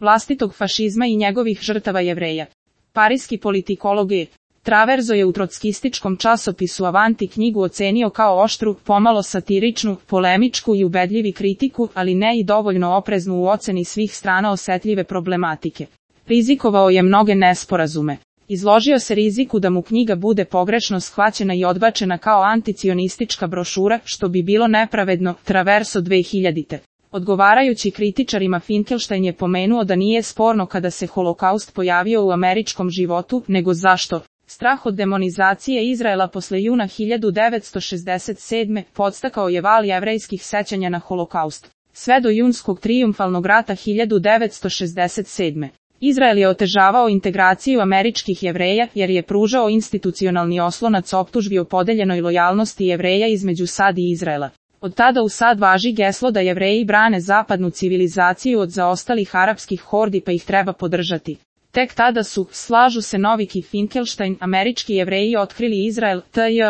vlastitog fašizma i njegovih žrtava Jevreja. Pariski politikolog E. Traverso je u trotskističkom časopisu Avanti knjigu ocenio kao oštru, pomalo satiričnu, polemičku i ubedljivi kritiku, ali ne i dovoljno opreznu u oceni svih strana osetljive problematike. Rizikovao je mnoge nesporazume. Izložio se riziku da mu knjiga bude pogrešno shvaćena i odbačena kao anticionistička brošura, što bi bilo nepravedno. Traverso 2000. Odgovarajući kritičarima, Finkelstein je pomenuo da nije sporno kada se holokaust pojavio u američkom životu, nego zašto. Strah od demonizacije Izraela posle juna 1967. podstakao je val jevrejskih sećanja na holokaust. Sve do junskog trijumfalnog rata 1967. Izrael je otežavao integraciju američkih Jevreja jer je pružao institucionalni oslonac optužbi o podeljenoj lojalnosti Jevreja između SAD i Izraela. Od tada u SAD važi geslo da Jevreji brane zapadnu civilizaciju od zaostalih arapskih hordi pa ih treba podržati. Tek tada su, slažu se Novik i Finkelstein, američki Jevreji otkrili Izrael,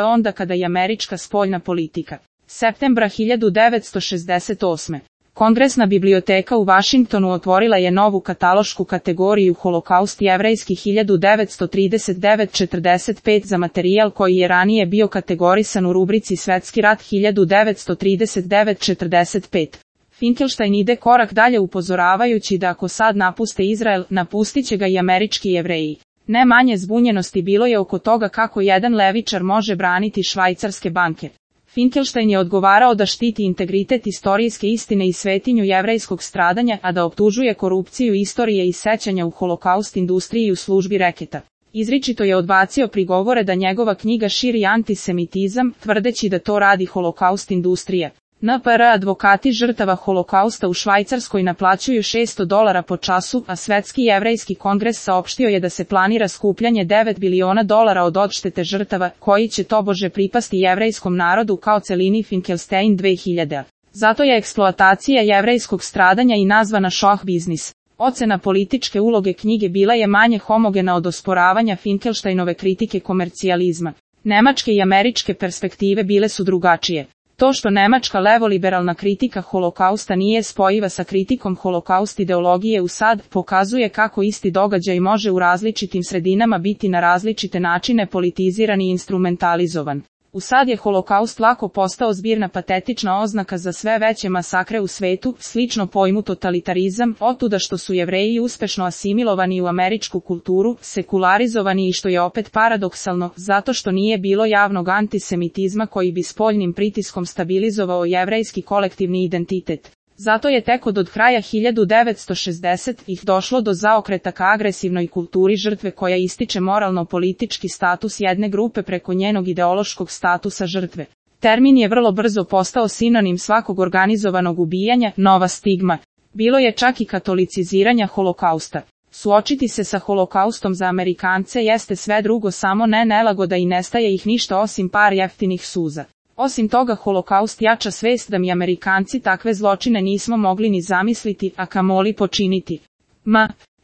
onda kada je američka spoljna politika. Septembra 1968. Kongresna biblioteka u Vašingtonu otvorila je novu katalošku kategoriju Holokaust jevrejski 1939-45 za materijal koji je ranije bio kategorisan u rubrici Svetski rat 1939-45. Finkelstein ide korak dalje upozoravajući da ako SAD napuste Izrael, napustit će ga i američki Jevreji. Ne manje zbunjenosti bilo je oko toga kako jedan levičar može braniti švajcarske banke. Finkelstein je odgovarao da štiti integritet istorijske istine i svetinju jevrejskog stradanja, a da optužuje korupciju istorije i sećanja u holokaust industriji u službi reketa. Izričito je odbacio prigovore da njegova knjiga širi antisemitizam, tvrdeći da to radi holokaust industrija. NPR advokati žrtava holokausta u Švajcarskoj naplaćuju $600 po času, a Svetski jevrejski kongres saopštio je da se planira skupljanje $9 biliona od odštete žrtava, koji će tobože pripasti jevrejskom narodu kao celini. Finkelstein 2000. Zato je eksploatacija jevrejskog stradanja i nazvana šoh biznis. Ocena političke uloge knjige bila je manje homogena od osporavanja Finkelsteinove kritike komercijalizma. Nemačke i američke perspektive bile su drugačije. To što nemačka levoliberalna kritika holokausta nije spojiva sa kritikom holokaust ideologije u SAD, pokazuje kako isti događaj može u različitim sredinama biti na različite načine politiziran i instrumentalizovan. U SAD je holokaust lako postao zbirna patetična oznaka za sve veće masakre u svetu, slično pojmu totalitarizam, otuda što su Jevreji uspešno asimilovani u američku kulturu, sekularizovani i što je opet paradoksalno, zato što nije bilo javnog antisemitizma koji bi spoljnim pritiskom stabilizovao jevrejski kolektivni identitet. Zato je tek od kraja 1960-ih došlo do zaokreta ka agresivnoj kulturi žrtve koja ističe moralno-politički status jedne grupe preko njenog ideološkog statusa žrtve. Termin je vrlo brzo postao sinonim svakog organizovanog ubijanja, nova stigma. Bilo je čak i katoliciziranja holokausta. Suočiti se sa holokaustom za Amerikance jeste sve drugo samo ne nelagoda i nestaje ih ništa osim par jeftinih suza. Osim toga, holokaust jača svest da mi Amerikanci takve zločine nismo mogli ni zamisliti, a kamoli počiniti.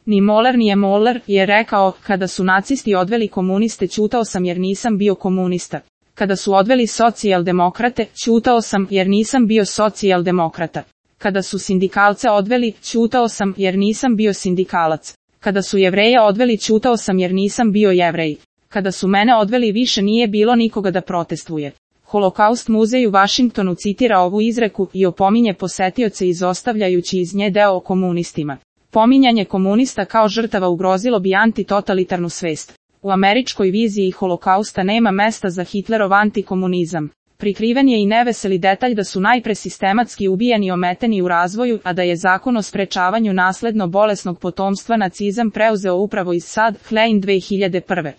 Ni Moller nije Moller, je rekao, kada su nacisti odveli komuniste ćutao sam jer nisam bio komunista. Kada su odveli socijaldemokrate, ćutao sam jer nisam bio socijaldemokrata. Kada su sindikalce odveli, ćutao sam jer nisam bio sindikalac. Kada su Jevreja odveli, ćutao sam jer nisam bio Jevrej. Kada su mene odveli, više nije bilo nikoga da protestuje. Holokaust muzej u Vašingtonu citira ovu izreku i opominje posetioce izostavljajući iz nje deo o komunistima. Pominjanje komunista kao žrtava ugrozilo bi antitotalitarnu svest. U američkoj viziji holokausta nema mesta za Hitlerov antikomunizam. Prikriven je i neveseli detalj da su najpre sistematski ubijani i ometeni u razvoju, a da je zakon o sprečavanju nasledno bolesnog potomstva nacizam preuzeo upravo iz SAD, Klein 2001.